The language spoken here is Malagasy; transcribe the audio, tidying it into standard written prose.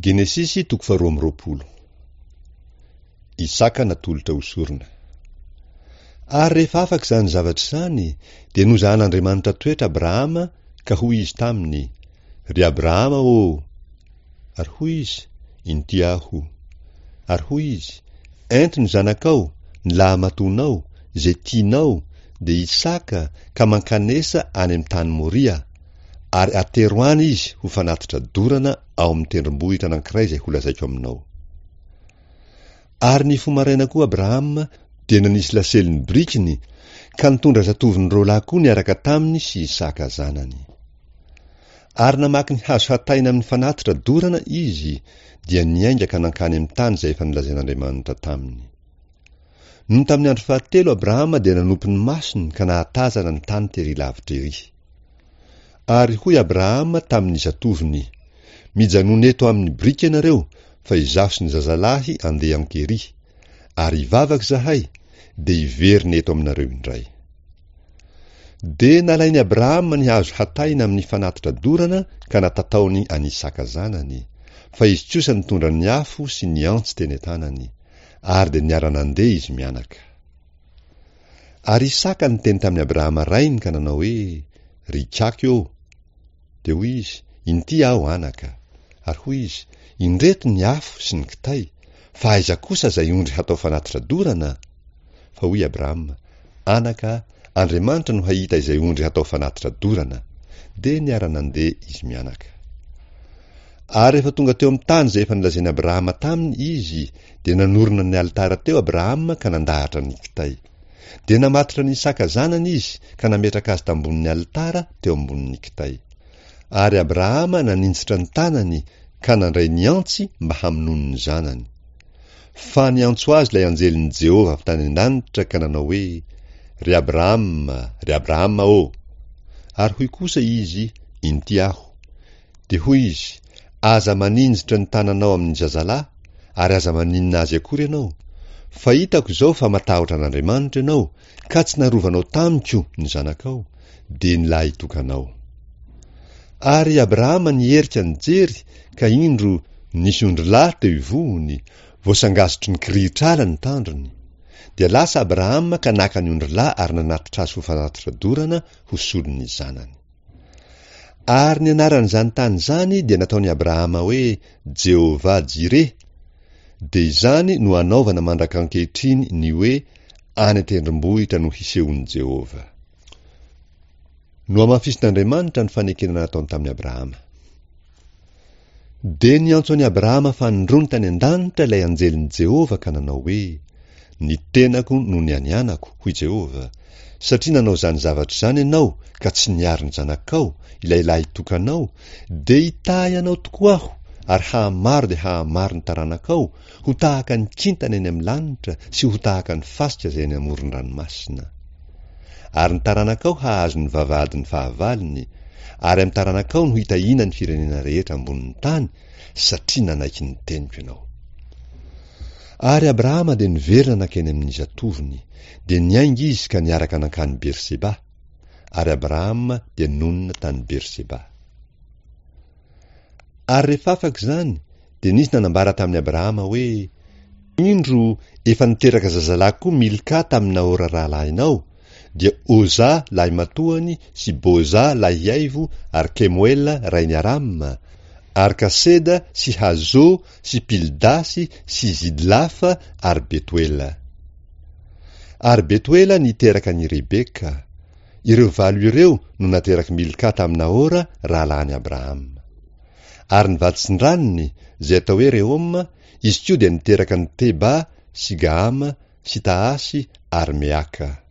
Genesisy toko faharoa amby 20. Isaka natolotra ho sorona. Ary rehefa afaka izany zavatra izany, dia nozahan'Andriamanitra toetra Abrahama, ka hoy Izy taminy, Ry Abrahama ô! Ary hoy izy, Inty aho. Ary hoy Izy, Ento ny zanakao, ny lahimatoanao, izay tianao, dia Isaka, ka mankanesa any amin'ny tany Moria, ary atero any izy ho fanatitra dorana ao amin'ny tendrombohitra anankiray izay holazaiko aminao. Ary nifoha maraina koa Abrahama, dia nanisy lasely ny birikiny, ka nitondra zatovony roalahy koa niaraka taminy sy Isaka zanany. Ary namaky ny hazo hataina amin'ny fanatitra dorana izy, dia niainga ka nankany amin'ny tany izay efa nolazain'Andriamanitra taminy. Nony tamin'ny andro fahatelo Abrahama dia nanopy ny masony ka nahatazana ny tany tery lavitra ery. Ary hoy Abrahama tamin'ny zatovony, Mijanòna eto amin'ny biriky ianareo, fa izaho sy ny zazalahy andeha ankery, ary hivavaka izahay, dia hiverina eto aminareo indray. Dia nalain'i Abrahama ny hazo hataina amin'ny fanatitra dorana ka natataony an'Isaka zanany, fa izy kosa nitondra ny afo sy ny antsy teny an-tanany, ary dia niara-nandeha izy mianaka. Ary Isaka niteny tamin'i Abrahama rainy ka nanao hoe, Ry ikaky ô! Dia hoy izy, Inty aho, anaka. Ary hoy izy, Indreto ny afo sy ny kitay, fa aiza kosa izay ondry hatao fanatitra dorana? Fa hoy Abrahama, Anaka, Andriamanitra no hahita izay ondry hatao fanatitra dorana. Dia niara-nandeha izy mianaka. Ary rehefa tonga teo amin'ny tany izay efa nolazain'i Abrahama taminy izy, dia nanorina ny alitara teo Abrahama ka nandahatra ny kitay. Dia namatotra an'i Isaka zanany izy ka nametraka azy tambonin'ny alitara teo ambonin'ny kitay. Ary Abrahama naninjitra ny tanany ka nandray ny antsy mba hamonoany ny zanany. Fa niantso azy ilay anjelin'i Jehovah avy tany an-danitra ka nanao hoe, Ry Abrahama, ry Abrahama ô! Ary hoy kosa izy, Inty aho. Dia hoy izy, Aza maninjitra ny tananao amin'ny zazalahy, ary aza maninona azy akory ianao, fa hitako izao fa matahotra an'Andriamanitra ianao, ka tsy narovanao tamiko ny zanakao, dia ny lahitokanao. Ary Abrahama niherika nijery, ka indro, nisy ondrilahy teo ivohony, voasangazotry ny kirihitr'ala ny tandrony. Dia lasa Abrahama ka naka ny ondrilahy ary nanatitra azy ho fanatitra dorana ho solon'ny zanany. Ary ny anaran'izany tany izany dia nataon'i Abrahama hoe Jehovah-Jireh, dia izany no anaovana mandrak'ankehitriny ny hoe any an-tendrombohitra no hisehoan'i Jehovah. Nohamafisin'Andriamanitra ny fanekena nataony tamin'i Abrahama. Dia niantso an'i Abrahama fanindroany tany an-danitra ilay anjelin'i Jehovah ka nanao hoe, Ny tenako no nianianako, hoy Jehovah, satria nanao izany zavatra izany ianao ka tsy niaro ny zanakao, ilay lahitokanao, dia hitahy anao tokoa aho ary hahamaro dia hahamaro ny taranakao, ho tahaka ny kintana eny amin'ny lanitra sy ho tahaka ny fasika izay eny amoron-dranomasina. Ary ny taranakao hahazo ny vavahadin'ny fahavalony, ary amin'ny taranakao no hitahiana ny firenena rehetra ambonin'ny tany, satria nanaiky ny teniko ianao. Ary Abrahama dia niverina nankeny amin'ny zatovony, dia niainga izy ka niaraka nankany Berseba, ary Abrahama dia nonina tany Berseba. Ary rehefa afaka izany, dia nisy nanambara tamin'i Abrahama hoe, Indro, efa niteraka zazalahy koa Milka tamin'i Nahora rahalahinao, dia Oza lahimatoany sy Boza lahiaivo ary Kemoela rain'i Arama, ary Kaseda sy Hazo sy Pildasy sy Zidlafa ary Betoela. Ary Betoela niteraka an'i Rebeka. Ireo valo ireo no naterak'i Milka tamin'i Nahora rahalahin'i Abrahama. Ary ny vaditsindranony, izay atao hoe Rehoma, izy koa dia niteraka an'i Teba sy Gahama sy Tahasy ary Meaka.